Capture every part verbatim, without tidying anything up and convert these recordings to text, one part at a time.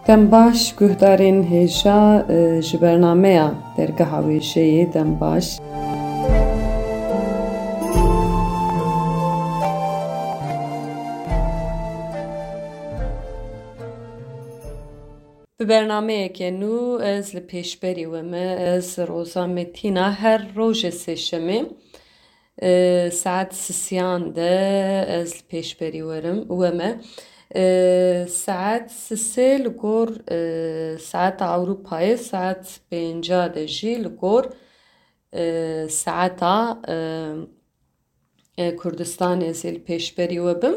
Dem baş guhdarên hêja, e, ji bernameya Dergeha Wêjeyê dem baş. Bi bernameyeke nû ez li pêşberî we me, ez Roza Metîna, her rojê sêşemê, e, saet sisiyan de ez li pêşberî werim, we me. E, saet sisê li gor, e, saeta Ewropayê, saet pênca de jî li gor, e, saeta, e, e, Kurdistanê ez ê li pêşberî we bim.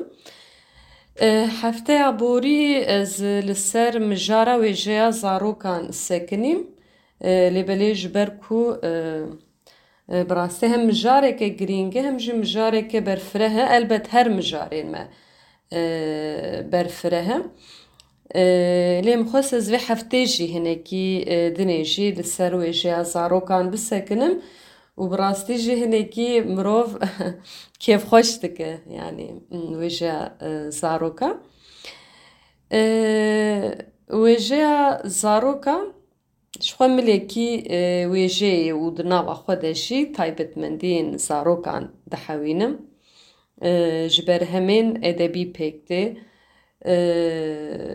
E, hefteya borî ez li ser mijara wêjeya zarokan sekinîm. E, lê belê ji ber ku, e, e, bi rastî hem mijareke girîng e, hem jî mijareke berfireh e. Elbet her mijarên me, e, berfireh e. E, lê min xwest ez vê heftê jî hinekî, e, dinê jî li ser wêjeya zarokan bisekinim û bi rastî jî hinekî mirov kêfxweş dike, yanî, m, wêjeya, e, zaroka. E, wêjeya zaroka ji xwe milekî, e, wêjeyê û di nava xwe de jî taybetmendiyên zarokan dihewînim. E, ji berhemên edebî pêk tê. E,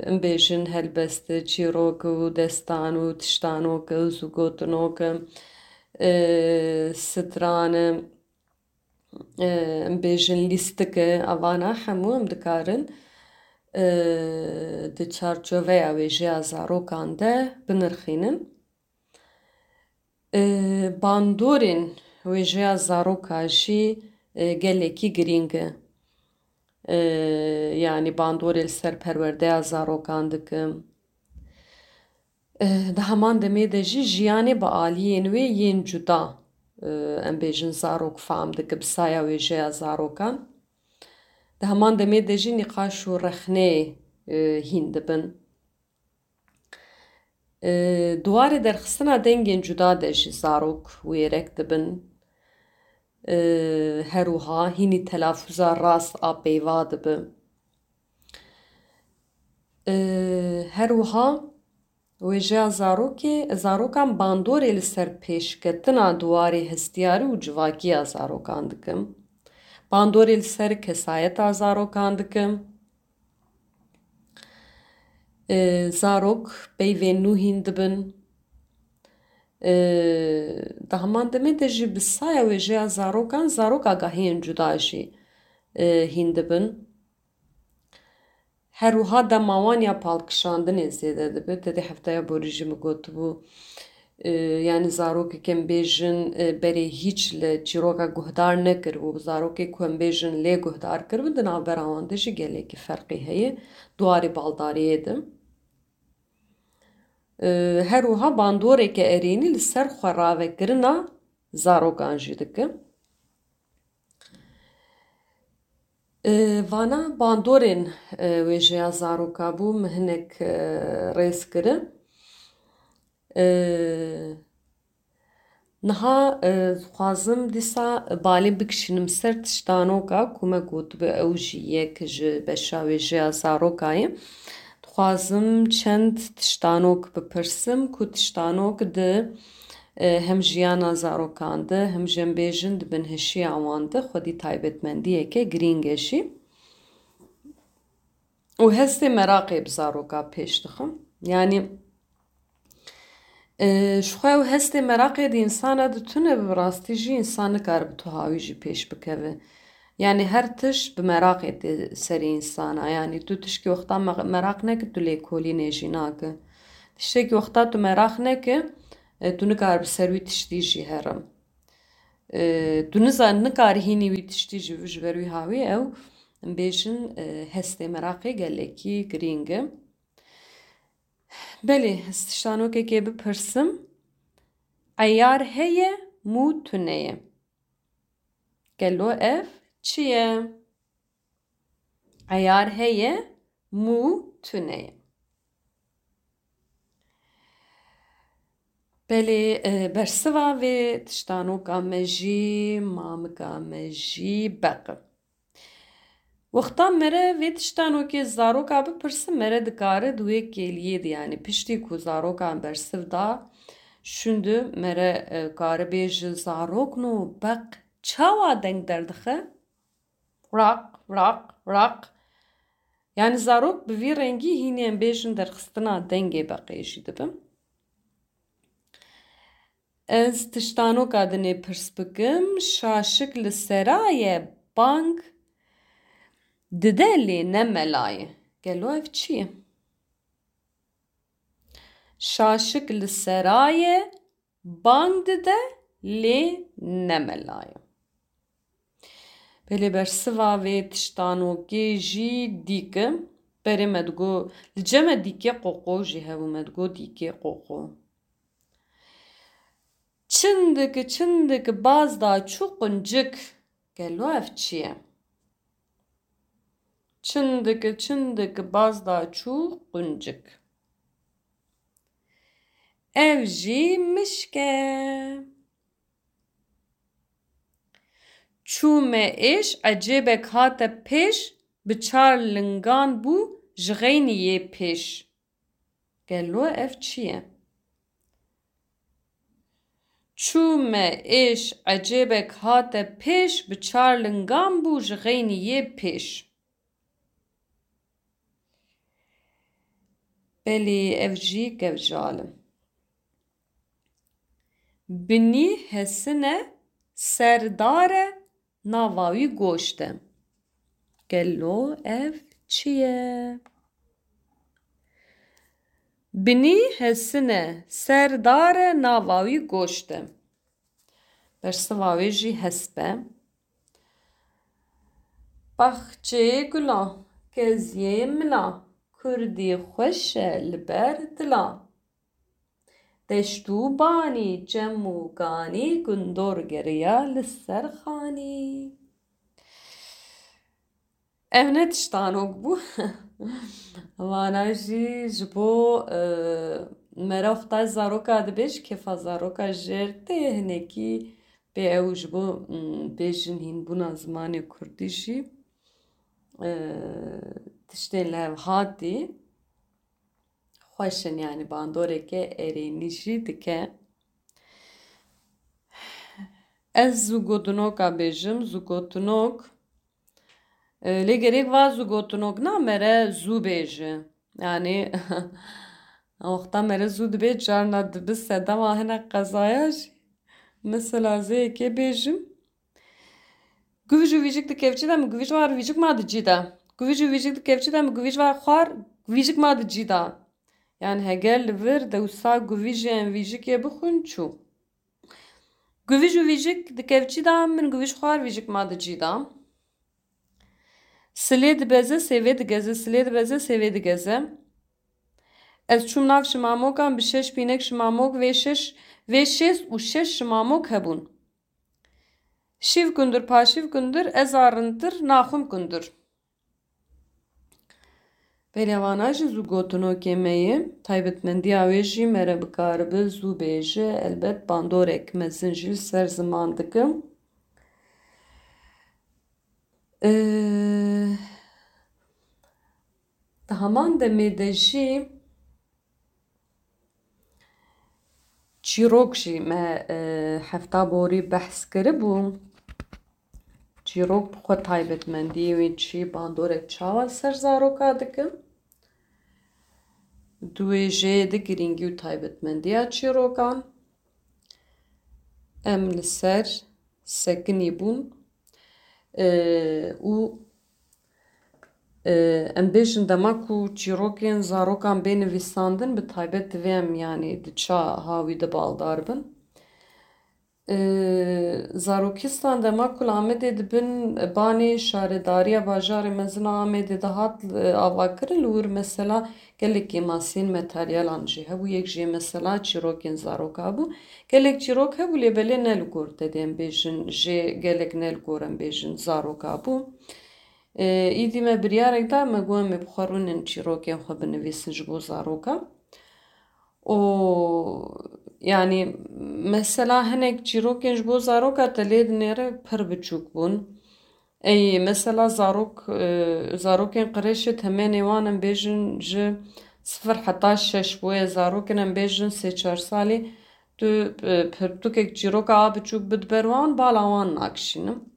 em bêjin helbest, çîrok û destan û tiştanok û zûgotinok, e, stran, e, em bêjin lîstik, e, evana hemû em dikarin, e, di çarçoveya wêjeya zarokan de binirxînin. E, bandorên wêjeya zaroka jî, e, gelekî girîng e. E, yanî bandorê li ser perwerdeya zarokan dikim. E, di heman demê de jî jiyanê bi aliyên wê yên cuda, e, em bêjin zarok fam dike bi saya wêjeya zarokan. Di heman demê de jî nîqaş û rexnê, e, hîn dibin. E, di warê derxistina dengên cuda de jî zarok wêrek dibin. E, her wiha hînî telafûza rast a peyva dibe. E, her wiha wêjeya zarokê, zarokan bandorê li ser pêşketina di warê hestiyarî û civakiya zarokan dikim. Bandorê li ser kesayeta zarokan dikim. E, zarok peyvên nû hîn dibin. E, di heman demê de jî bi saya wêjeya zarokan, zarok agahiyên cuda jî, e, hîn dibin. Her wiha dema wan ya palkişandinê zêde dibe. Te dê hefteya borî jî min gotibû, e, yanî zarokek em bêjin, e, berê hîç li çîroka guhdar nekiribû. Zarokê ku em bêjin lê guhdar kiribû, di navbera wan de jî gelekî ferqî heye. Di warê baldariyê de. E, her wiha bandoreke erênî li ser xweravekirina zarokan jî dike. E, vana bandorên, e, wêjeya zaroka bû, min hinek, e, rêz kirin. E, niha, e, dixwazim dîsa balê bikişînim ser tiştanoka ku me gotibû, ew jî yek ji beşa wêjeya zaroka ye. Dixwazim çend tiştanok bipirsim ku tiştanok di, e, hem jiyana zarokan de, hem jî em bêjin di binhişiya wan de xwedî taybetmendiyeke girîng e jî. Û hestê meraqê bi zaroka pêş dixim. Yanî, e, ji xwe ew hestê meraqê di însana de tune be, bi rastî jî însan nikare bi tuhawî jî pêş bikeve. Yanî her tişt bi meraqê tê serê însana. Yanî tu tişkî wexta me-, meraq neke, tu lêkolînê jî nake. Tiştekî wexta tu meraq neke, e, tu nikare bi ser wî tiştî jî here. E, tu niza-, nikarî hînî wî tiştî ji, ji ber wî hawî ew, em bêjin, e, hestê meraqê gelekî girîng e. Belê, ez tiştanokekê bipirsim. Eyar heye, mû tune ye. Gelo ev çi ye? Eyar heye, mû tune ye. Belê, e, bersiva vê tiştanoka me jî, mamika me jî beq e. Wexta mere vê tiştanokê zaroka bipirsin, mere dikare di wê kêliyê de, yanî piştî ku zarokan bersiv da, şûnde mere, e, kare bêje, zarokno beq çawa deng derdixe? Raq, raq, raq. Yanî zarok bi vî rengî hînê em bêjin derxistina dengê beqê jî dibin. Ez tiştanoka dinê pirs bikim, şaşik li sera ye, bang dide lê ne mela ye. Gelo ev çi ye? Şaşik li sera ye, bang dide lê ne mela ye. Belê bersiva vê tiştanokê jî dîk e. Berê me digo, li cem me dîkê qoqo jî hebû, me digo dîkê qoqo. Çindik çindik baz da çû quncik. Gelo ev çi ye? Çindik çindik baz da çû quncik. Ev jî mişk e. Çûme êş, ecêbek hate pêş, bi çar lingan bû ji xeynî yê pêş. Gelo ev çi ye? Çûme êş, ecêbek hate pêş, bi çar lingan bû ji xeynî yê pêş. Belê ev jî kevjal e. Binî hesine, serdar e, nava wî goşt e. Gelo ev çi ye? Binî hesine, serdar e, nava wî goşt e. Bersiva wê jî hesp e. Baxçeyê gulan, keziyê milan, kurdî xweş e li ber dilan. Deşt û banî, çem û ganî, gundor geriya li ser xanî. Ev ne tiştanok bû. Vana jî ji bo, e, mera xwe ta zaroka dibêj, kêfa zaroka jêr tê hinekî pê ew ji bo, mm, bêjin hînbûna zimanê kurdî jî, e, tiştên li hev hatî xweş in, yanî bandoreke erênî jî dike. Ez zûgotinoka bêjim, zûgotinok. E, lê gerek va zûgotinok na mere zû bêje. Yanî wexta mere zû dibe, carna dibi sedema hinek qezaya jî. Mesela zê yekê bêjim. Guvij û vîjik di kevçî de, min guvij war vîjik ma di cî de. Guvij û vîjik di kevçî de, min guvij war xwar vîjik ma di cî de. Yanî heger li vir dewsa guvijê em vîjikê bixwin çû. Guvij û vîjik di kevçî de, min guvij xwar vîjik ma di cî de. Silê dibeze, sêvê digeze, silê dibeze, sêvê digeze. Ez çûm nav şimamokan, bi şeş pînek şimamok, vê şeş, vê şêst û şeş şimamok hebûn. Şîv gundir, paşîv gundir, ez a rintir, naxwim gundir. Belê vana jî zû gotinokê me ye. Taybetmendiya wê jî mere bikaribe zû bêje, elbet bandorek mezin jî li ser ziman dike. Ee, di heman demê de jî çîrok jî me, e, hefta borî behs kiribû. Çîrok bi xwe taybetmendiyê wê çi bandorek çawa ser zaroka dike. Di wê jê de girîngî û taybetmendiya çîrokan. Em li ser sekinî bûn, e, û, e, em bêjin dema ku çîrokên zarokan bê nivîsandin, bi taybet divê em, yanî di ça hawî de baldar bin. E, Zarokistan dema ku li Amedê dibin banê şaredariya bajarê mezin a Amedê de hat, e, avakirin, li wir mesela gelek kêmasiyên materyalan jî hebû. Yek jê mesela çîrokên zaroka bû. Gelek çîrok hebû, lê belê ne li gor te dê em bêjin, jê gelek ne li gor em bêjin zaroka bû. E, îdî me biryarek da, me got em ê bi xwe rûnin çîrokên xwe binivîsin ji bo zaroka. Û, yanî, mesela hinek çîrokên ji bo zaroka te lê dinêre pir biçûk bûn. Ey, mesela zarok, e, zarokên qirêşê temenê wan em bêjin ji sifir heta şeş boye zarok in, em bêjin sê çar salî, tu, e, pirtûkek çîroka a biçûk bid ber wan, bala wan nakişînin.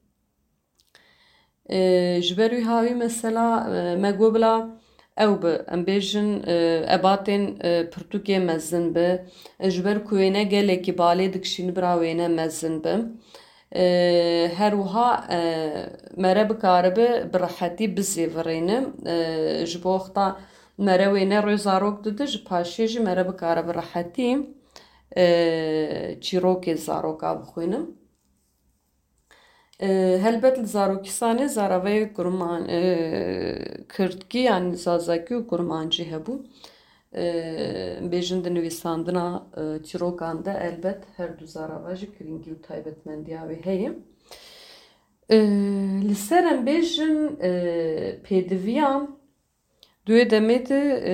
E, ji ber wî hawî mesela, e, me got bila ew bi, em bêjin, e, ebatên, e, pirtûkê mezin bi. E, ji ber ku wêne gelekî balê dikişînî bira wêne mezin bi. E, her wiha, e, mere bikaribi bi rehetî bizêvirîne. E, ji bo wexta mere wêne rê zarok dide, ji paşê jî mere bikaribi rehetî, e, çîrokê zaroka bixwîne. E, helbet li Zarokistanê zaravayê kurman, e, kirdkî, yanî zazakî û kurmancî hebû. E, bêjin di nivîsandina, e, çîrokan de elbet her du zarava jî girîngî û taybetmendiya wê heye. E, li ser em bêjin, e, pêdiviya, di wê demê de, e,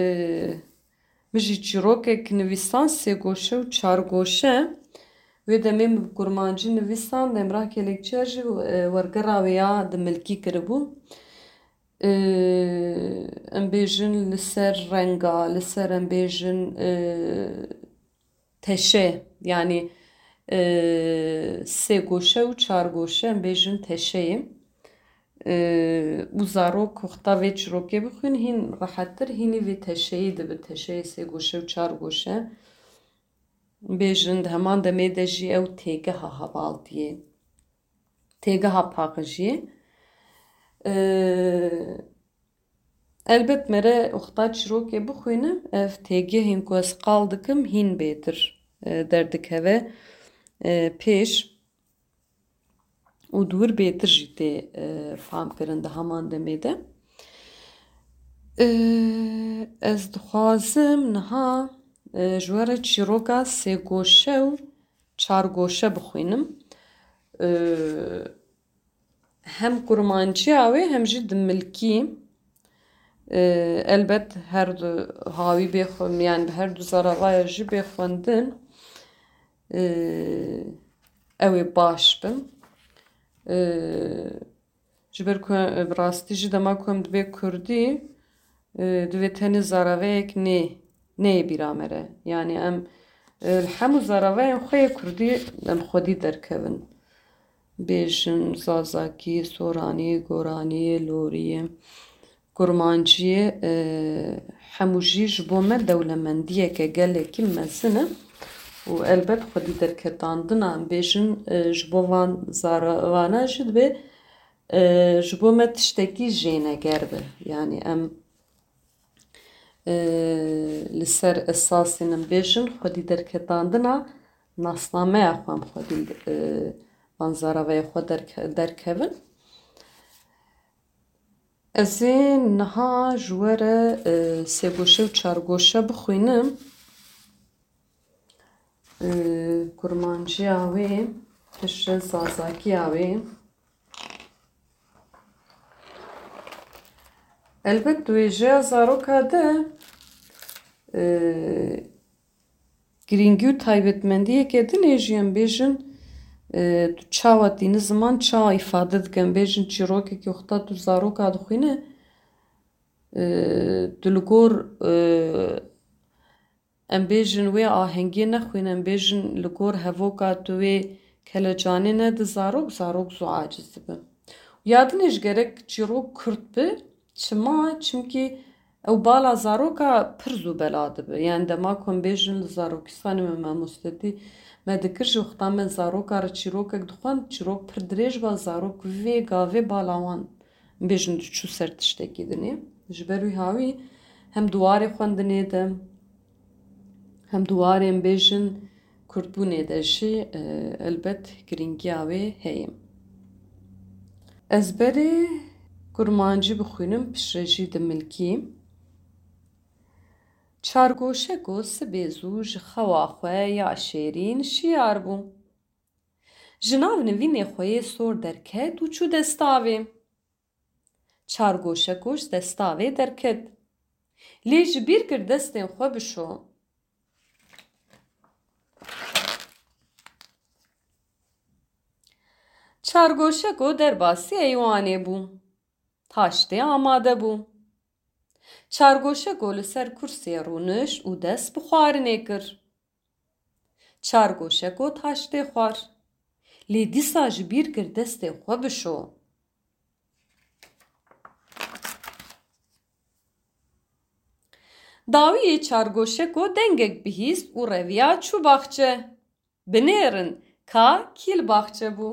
min jî çîrokek nivîsan sê goşe û çar goşe. Wê demê min bi kurmancî nivîsan, Emrah Kelekçiya jî, e, wergera wê ya dimilkî kiribû. E, em bêjin li ser renga, li ser em bêjin, e, teşe, yanî, e, sê goşe û çar goşe em bêjin teşeyê. E, û zarok wexta vê çîrokê bixwîn hîn rehettir, hînî vê teşeyê dibi, teşeyê sê goşe û çar goşe. Bêjin di heman demê de jî ew têgeha hevaltiyê, têgeha paqijiyê. E, Elbet mere wexta çîrokê bixwînim, ev têgihên ku ez qal dikim hîn bêtir, e, derdikeve, e, pêş û di wir bêtir jî tê, e, famkirin di heman demê de. E, ez dixwazim niha, e, ji we re çîroka sêgoşe û çargoşe bixwînim. E, hem kurmanciya wê hem jî dimilkî. E, elbet her du hawî bê xwe-, yani bi her du zaravaya jî bê xwendin, e, ew ê baş bin. E, ji ber ku, e, bi rastî jî dema ku em dibê kurdî, e, divê tenê zaraveyek nê, neyê bîra me re. Yani em, e, li hemû zaraveyên xwe yê kurdî em xwedî derkevin. Bêjin, zazakî, soranî, goranî, lorî, kurmancî, e, hemû jî ji bo me dewlemendiyeke gelekî mezin e û elbet xwedî derketandina em bêjin, e, ji bo van zaravana jî dibe, e, ji bo me tiştekî jêneger be. Yani em, e, li ser esasên em bêjin xwedî derketandina nasnameya xwe em xwedî, e, van zaravayê xwe derke-, derkevin. Ez ê niha ji we re, e, sêgoşe û çargoşe bixwînim. E, kurmanciya wê, piştre zazakiya wê. Elbet di wêjeya zaroka de, e, girîngî û taybetmendiyeke din ê jî em bêjin, e, tu çawa tîni ziman, çawa îfade dike. Em bêjin çîrokekî wexta tu zaroka dixwîne, e, tu li gor, e, em bêjin wê ahengê nexwîne, em bêjin li gor hevoka tu wê kelecanê nedi zarok, zarok zû aciz dibe. Ya dinê ji gerek çîrok kurt bi, çima? Çimkî ew bala zaroka pir zû bela dibe. Yani dema ku em bêjin li Zarokistanê me mamostetî me dikir, ji wexta me zaroka re çîrokek dixwend, çîrok pir dirêj ba, zarok vê gavê bala wan bêjin diçû ser tiştekî dinê. Ji ber wî hawî hem di warê xwendinê de, hem di warê em bêjin kurtbûnê de jî, e, elbet girîngiya wê heye. Ez berê kurmancî bixwînim, piştre jî dimilkî. Çargoşeko sibê zû ji xewa xwe ya şêrîn şiyar bû. Ji nav nivînê xwe yê sor derket û çû destavê. Çargoşeko ji destavê derket. Lê ji bîr kir destên xwe bişo. Çargoşeko derbasî eywanê bû. Taştê amade bû. Çargoşeko li ser kursiyê rûnişt û dest bi xwarinê kir. Çargoşeko taştê xwar. Lê dîsa ji bîr kir destê xwe bişo. Dawiyê Çargoşeko dengek bihîst û reviya çû baxçe. Binêrin ka kî li baxçe bû.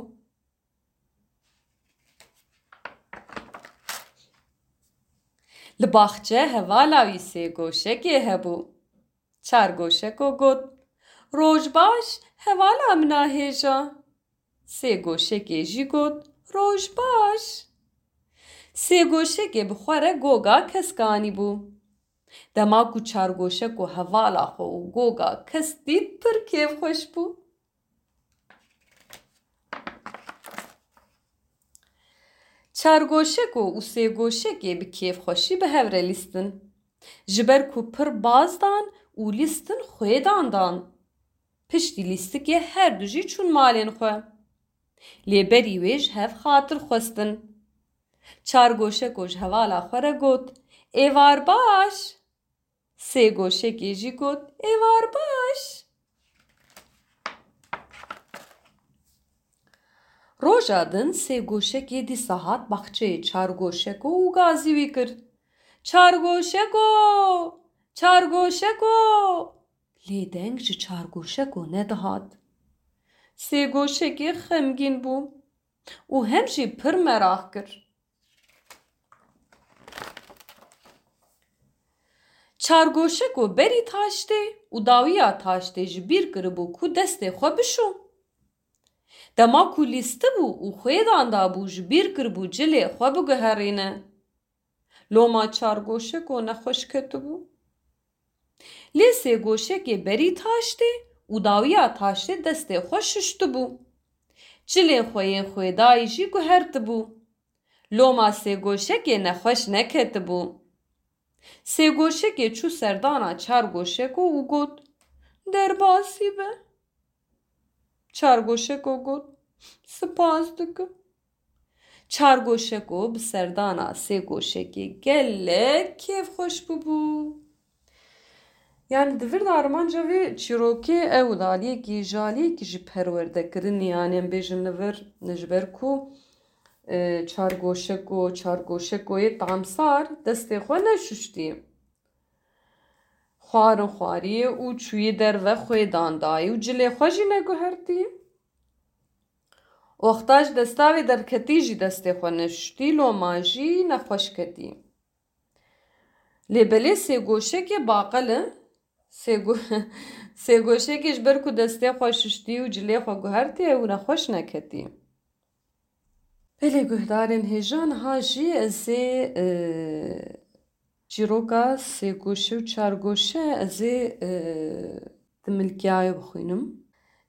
Li baxçe hevala wî Sêgoşekê hebû. Çargoşeko got, "Roj baş, hevala min a hêja." Sêgoşekê jî got, "Roj baş." Sêgoşekê bi xwe re goga kesk anîbû. Dema ku Çargoşeko hevala xwe û goga kesk dît, pir kêfxweş bû. Çargoşeko û Sêgoşekê bi kêfxweşî bi hev re lîstin. Ji ber ku pir baz dan û lîstin xwêdan dan. Piştî lîstikê her du jî çûn malên xwe. Lê berî wê ji hev xatir xwestin. Çargoşeko ji hevala xwe re got, "Êvar baş." Sêgoşekê jî got, "Êvar baş." Roja din Sêgoşekê dîsa hat baxçeyê Çargoşeko û gazî wî kir, "Çargoşeko! Çargoşeko!" Lê deng ji Çargoşeko nedihat. Sêgoşekê xemgîn bû û hem jî pir meraq kir. Çargoşeko berî taştê û dawiya taştê ji bîr kiribû ku destê xwe bişo. Dema ku lîstibû û xwêdan dabû, ji bîr kiribû cilê xwe biguherîne. Loma Çargoşeko nexweş ketibû. Lê Sêgoşekê berî taştê û dawiya taştê destê xwe şuştibû. Cilên xwe yên xwêdayî jî guhertibû. Loma Sêgoşekê nexweş neketibû. Sêgoşekê çû serdana Çargoşeko û got, "Derbasî be." Çargoşeko got, "Spas dikim." Çargoşeko bi serdana Sêgoşekê gelek kêfxweş bûbû. Yani di vir de armanca vê çîrokê ew e, aliyekî ji aliyekî jî perwerdekirinê, yani em bêjin li vir, ji ber ku, e, Çargoşeko, Çargoşekoyê tamsar destê xwe neşuştî. Xwarin xwariyê û çûyî derve xwêdan dayî û cilê xwe jî neguhertî. Wexta ji desta wê derketî jî destê xwe neşuştî, loma jî nexweş ketî. Lê belê Sêgoşekê baqil e. Sêgo-, Sêgoşekê ji ber ku destê xwe şuştî û cilê xwe guhertî, ew nexweş neketî. Belê guhdarên hêja, niha jî ez ê, e, çîroka Sêgoşe û Çargoşe ez ê, e, di milkiyayê bixwînim.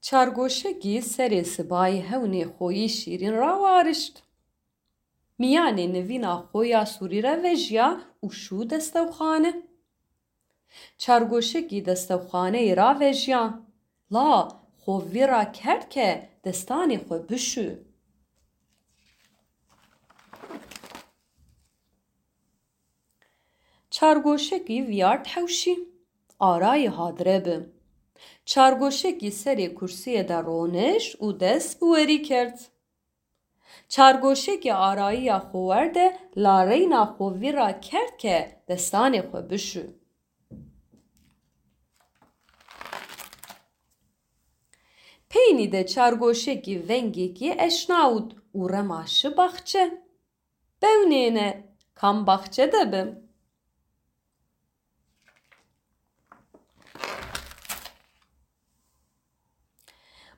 Çargoşekî serê sibayî hewnê xwe yî şîrîn rawarişt. Miyanê nivîna xwe ya sûrî re vejiya û şû destewxane. Çargoşekî destewxaneyê ravejiya. La xwe vî ra kerd ke destanê xwe bişû. Çargoşekî viyart hewşî. Arayî hadire bi. Çargoşekî serê kursiyê de ronişt û dest bi werî kerd. Çargoşekê arayiya xwe werde, la reyna xwe vî ra kerd ke destanê xwe bişû. Peynî de Çargoşekî vengekî eşnawit û rema şi baxçe. Bewnêne, kam baxçe de bi?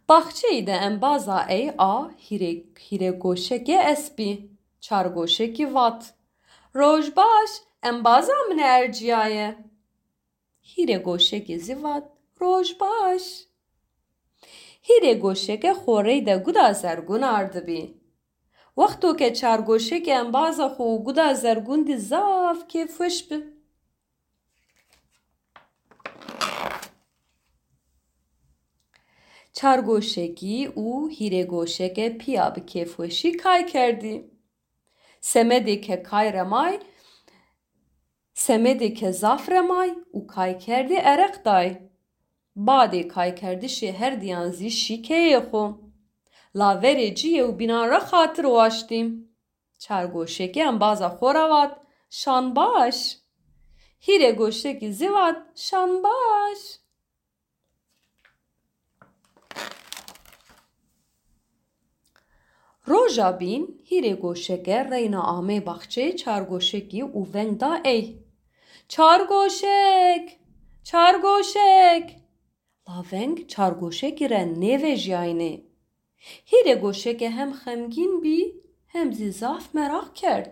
Baxçeyî de embaza ey a hîrê, hîrê goşekê espî, çar goşekî vat, "Roj baş, embaza min erciyaye." Hîrê goşekê zî vat, "Roj baş." Hîrê goşeke xorey de guda zergûn ardibî. Wexto ke çar goşekê embaza xwe û guda zergûn dî zaf kêfweş bi. Çargoşekî û hîrêgoşeke piya bi kêfweşî kay kerdî. Semedê ke kay remay, semedê ke zaf remay û kay kerdî ereq day. Badê kaykerdişê her diyan zî şî keyê xwe. La verê ciyê û bînan re xatir waştî. Çargoşekê embaza xwe re vat, "Şan baş." Hîrêgoşekî zî vat, "Şan baş." Roja bîn hîrêgoşeke reyna amê baxçeyê çargoşekî û veng da ey, "Çargoşek! Çargoşek!" La veng çargoşekî re nêvejiyayînê. Hîrêgoşeke hem xemgîn bî, hem zî zaf meraq kerd.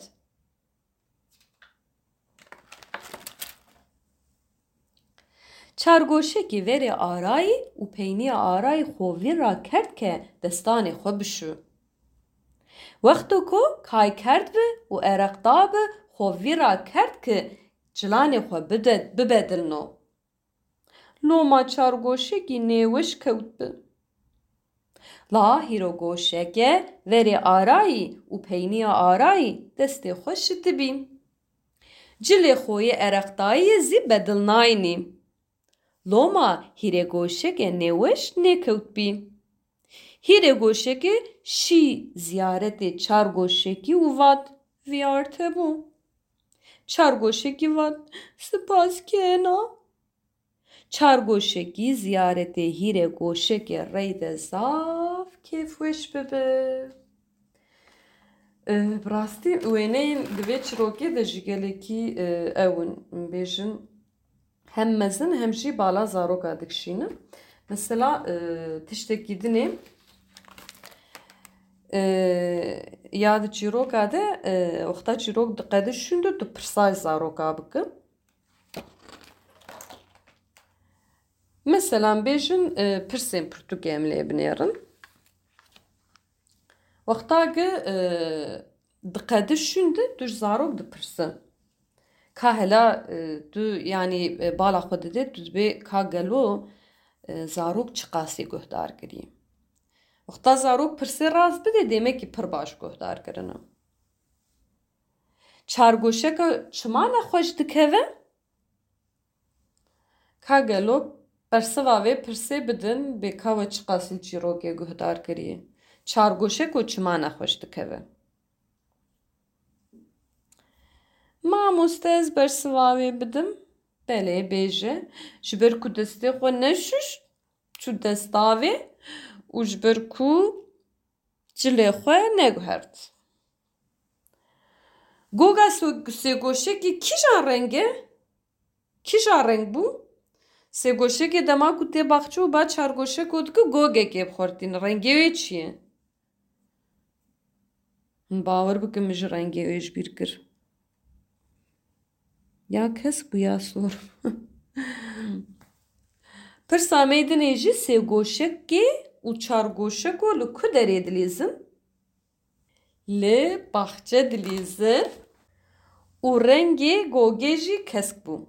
Çargoşekî verê arayî û peyniya arayî xwe vîr ra kerd ke destanê xwe bişû. Wexto ku kay kerdbi û ereq dabi, xwe vîr ra kerd ki cilanê xwe bide-, bibedilno. Loma çargoşekî nêweş kewtbi. La hîrêgoşeke verê arayî û peyniya arayî destê xwe şitibî. Cilê xwe yê ereqdayiyê zî bedilnayînî. Loma hîrêgoşeke nêweş nêkewtbî. Hîrêgoşeke şî ziyaretê çargoşekî û vat, "Vîyarte bû." Çargoşekî vat, "Spas kena." Çargoşekî ziyaretê hîrêgoşekê reyde zaf kêfweş bibi. Eh, bi rastî wêneyên di vê çîrokê de jî gelekî, eh, ew in, bêjin, hem mezin hem jî bala zaroka dikişînin. Mesela, eh, tiştekî dinê, eh, ya di çîroka de, eh, wexta çîrok diqede şûn de tu pirsay zaroka bike. Meselan bêjin, e, pirsên pirtûkê em lê binêrin. Wexta ki, e, diqedi şûn de tu ji zarok dipirsi. Ka hela, e, tu, yanî, e, bala xwe didê, tu dibê ka gelo, e, zarok çiqasî guhdar kirî. Wexta zarok pirsê rast bidê, dêmekî pir baş guhdar kirine. Çargoşeka çima nexweş dikeve? Ka gelo bersiva vê pirsê bidin, bê ka we çiqas li çîrokê guhdar kiriye? Çargoşeko çima nexweş dikeve? Mamoste, ez bersiva wê bidim? Belê, bêje. Ji ber ku destê xwe neşûşt, çû destavê û ji ber ku cilê xwe neguhert. Goga so-, sêgoşekî kîjan reng e? Kîjan reng bû? Sêgoşekê dema ku tê baxçe û ba çargoşeko dike gogekê bi xwe re tîne. Rengê wê çi ye? Hûn bawer bikin min jî rengê wê ji bîr kir. Ya kesk bû ya sor. Pirsa me dinê jî sêgoşekê û çargoşeko li ku derê dilîzin? Li baxçe dilîzin û rengê gogê jî kesk bû.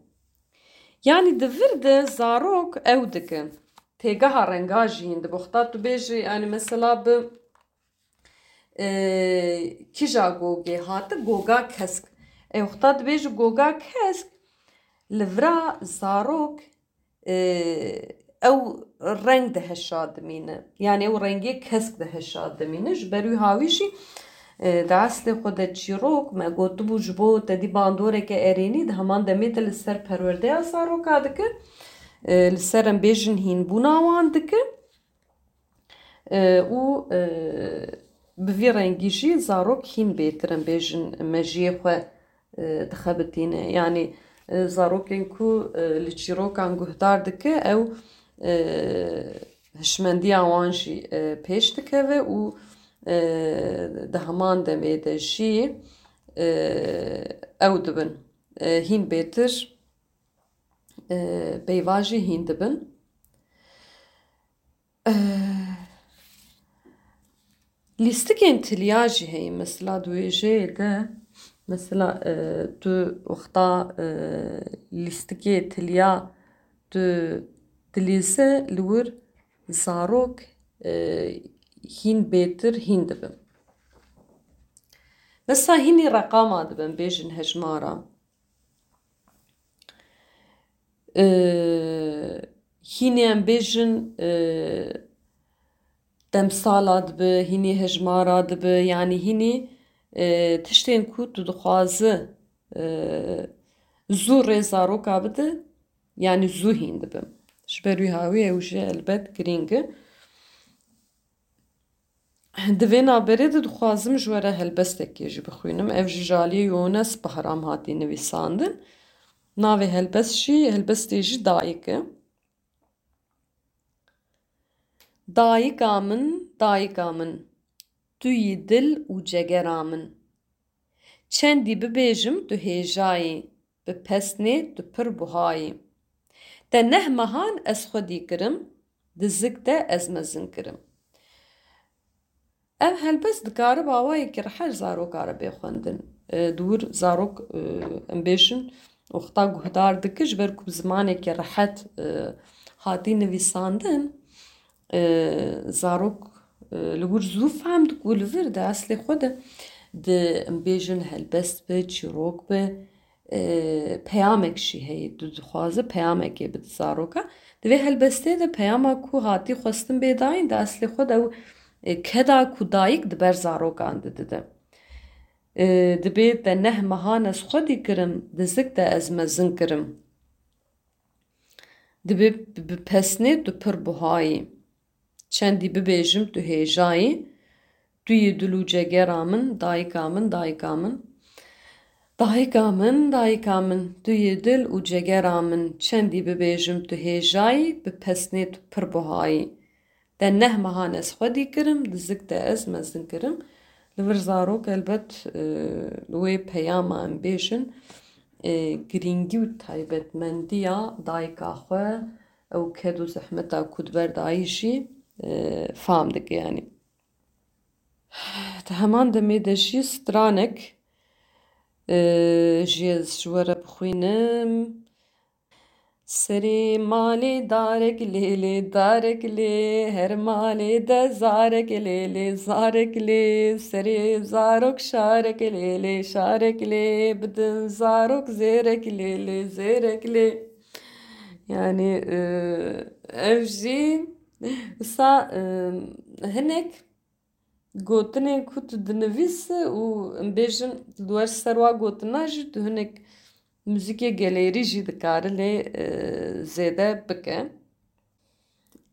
Yanî di vir de zarok ew dikin. Têgeha renga jî hîn dibe. Wexta tu bêjî, yanî mesela bi, e, kîja gogê hate, goga kesk. E, wexta dibêjî goga kesk, li vira zarok, e, ew reng diheşa dimîne. Yanî ew rengê kesk diheşa dimîne. Ji ber wî hawî jî, e, di eslê xwe de çîrok, me gotibû, ji bo te dî bandoreke erênî, di heman demê de li ser perwerdeya zaroka dike, e, li ser em bêjin hînbûna wan dike. E, û, e, bi vî rengî jî zarok hîn bêtir em bêjin mejiyê xwe, e, dixebitîne. Yanî, e, zarokên ku, e, li çîrokan guhdar dike, ew, e, hişmendiya wan jî, e, pêş dikeve û, e, di heman demê de jî, e, ew dibin, e, hîn bêtir, e, peyva jî hîn dibin. Eh, lîstikên tiliya jî heye. Mesela di wêjeyê de, mesela, eh, tu wexta, eh, lîstikê tiliya tu dilîze, li wir Zarok, e, hîn bêtir hîn dibin. Mesela hînî reqama dibin, bêjin hejmara. E, hînî em bêjin, e, demsala dibi, hînî hejmara dibi, yanî hînî, e, tiştên ku tu dixwazi, e, zû rê zaroka bidi, yanî zû hîn dibi. Ji ber wî hawî ew jî elbet girîng e. Di vê navberê de dixwazim ji we re helbestekê jî bixwînim. Ev ji Jaliyê Yones Bahram hatî nivîsandin. Navê helbest jî, helbestê jî Dayik e. Dayika min, dayika min, tu yî dil û cegera min. Çendî bibêjim tu hêjayî, bi pesnê tu pir buhayî. Te neh mehan ez xwedî kirim, di zik de ez mezin kirim. Ev helbest dikare bi awayekî rehet zaroka re bê xwendin. E, di wir zarok, e, em bêjin, wexta guhdar dike, ji ber ku bi zimanekî rehet, e, hatî nivîsandin, e, zarok, e, li wir zû fehm dike û li vir di eslê xwe de, di, em bêjin, helbest be, çîrok be, e, peyamek jî heye. Tu dixwaze peyamekê bide zaroka. Di vê helbestê de peyama ku hatî xwestin bê dayîn, di eslê xwe de ew, e, keda ku dayik di ber zarokan de dide. E, dibê te neh mehan ez xwedî kirim, di zik de ez mezin kirim. Dibê bi, bi pesnê tu pir buhayî. Çendî bibêjim tu hêjayî, tu yî dil û cegera min, dayika min, dayika min. Dayika min, dayika min, tu yî dil û cegera min, çendî bibêjim tu hêjayî, bi pesnê tu pir buhayî. Te neh mehan ez xwedî kirim, di zik de ez mezin kirim. Li vir zarok elbet, e, li wê peyama em bêjin, e, girîngî û taybetmendiya dayika xwe, ew ked û zehmeta ku di ber dayî jî, e, fam dike, yanî. Di heman demê de jî stranek, e, jî ez ji we re bixwînim. Serê malê darek lê lê, darek lê, her malê de zarek lê lê, zarek lê, serê zarok şarek lê lê, şarek lê, bidin zarok zêrek lê lê, zêrek lê. Yanî, e, ev jî wisa, e, hinek gotinên ku tu dinivîse û em bêjin li wer ser wa gotina jî tu hinek muzîkê gelêrî jî dikare lê, e, zêde bike.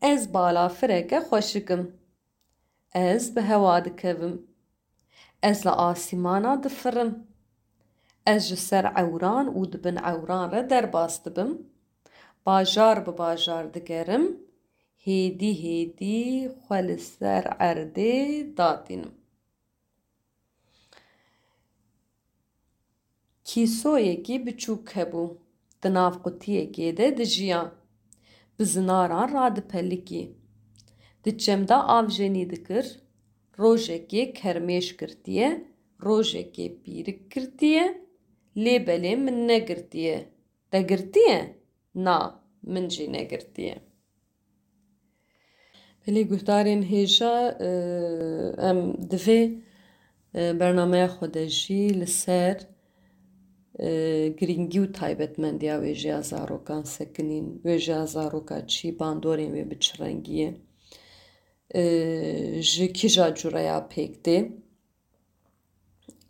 Ez balafireke xweşik im. Ez bi hewa dikevim. Ez li asîmana difirim. Ez ji ser ewran û di bin ewran re derbas dibim. Bajar bi bajar digerim. Hêdî hêdî xwe li ser erdê datînim. Kîsoyekî biçûk hebû. Di nav qutiyekê de dijiya. Bi zinaran radipelikî. Di çem de avjenî dikir. Rojekê kermêş girtiye, rojekê pîrik girtiye, lê belê min negirtiye. Te girtiye? Na, min jî negirtiye. Belê guhdarên hêja, e, em di vê, e, bernameya xwe de jî li ser, e, girîngî û taybetmendiya wêjeya zarokan sekinîn. Wêjeya zaroka çi, bandorên wê bi çi rengî ye? E, ji kîja cureya pêk tê?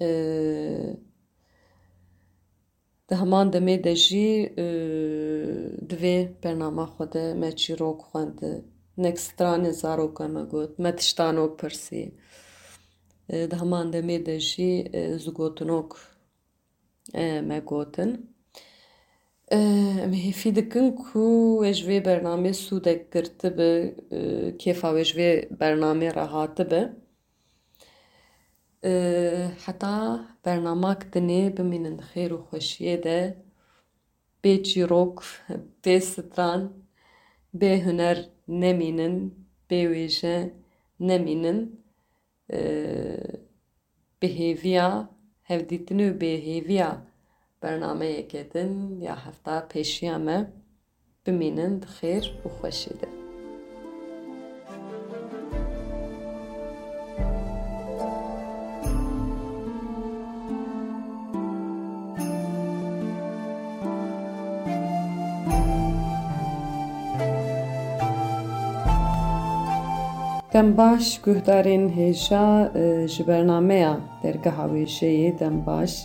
E, Di heman demê de jî, e, di vê bernama xwe de me çîrok xwend, hinek stranên zaroka me got, me tiştanok pirsî. E, di heman demê de jî, e, zigotinok, e, me gotin. E, em hêfî dikin ku we ji vê bernamê sûdek girtibi, e, kêfa we ji vê bernamê re hatibi. E, heta bernamak dinê bimînin di xêr û xweşiyê de. Bê çîrok, bê stran, bê huner nemînin, bê wêje nemînin. E, bi hêviya hevdîtinê û bi hêviya bernameyeke din ya hefta pêşiya me. Bimînin di xêr û xweşî de. Dem baş guhdarên hêja, e, ji bernameya Dergeha Wêjeyê dem baş.